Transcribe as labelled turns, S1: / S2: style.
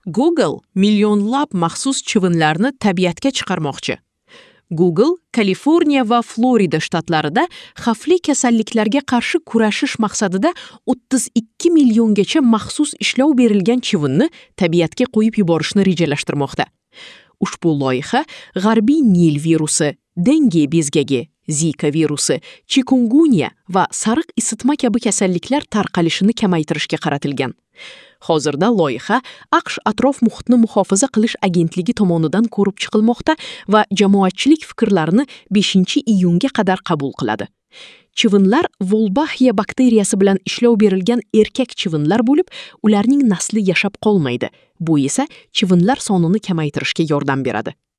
S1: Google millionlab maxsus chivinlarni tabiatga chiqarmoqchi. Google Kaliforniya va Florida shtatlarida xavfli kasalliklarga qarshi kurashish maqsadida 32 milliongacha maxsus ishlov berilgan chivinni tabiatga qo'yib yuborishni rejalashtirmoqda. Ushbu loyiha G'arbiy Nil virusi, Denge bezgagi, Zika virusi, chikungunya va sariq isitma kabi kasalliklar tarqalishini kamaytirishga qaratilgan. Hozirda loyiha AQSh atrof muhitni muhofaza qilish agentligi tomonidan ko'rib chiqilmoqda va jamoatchilik fikrlarini 5-iyunga qadar qabul qiladi. Chivinlar Wolbachia bakteriyasi bilan ishlov berilgan erkak chivinlar bo'lib, ularning nasli yashab qolmaydi. Bu esa chivinlar sonini kamaytirishga yordam beradi.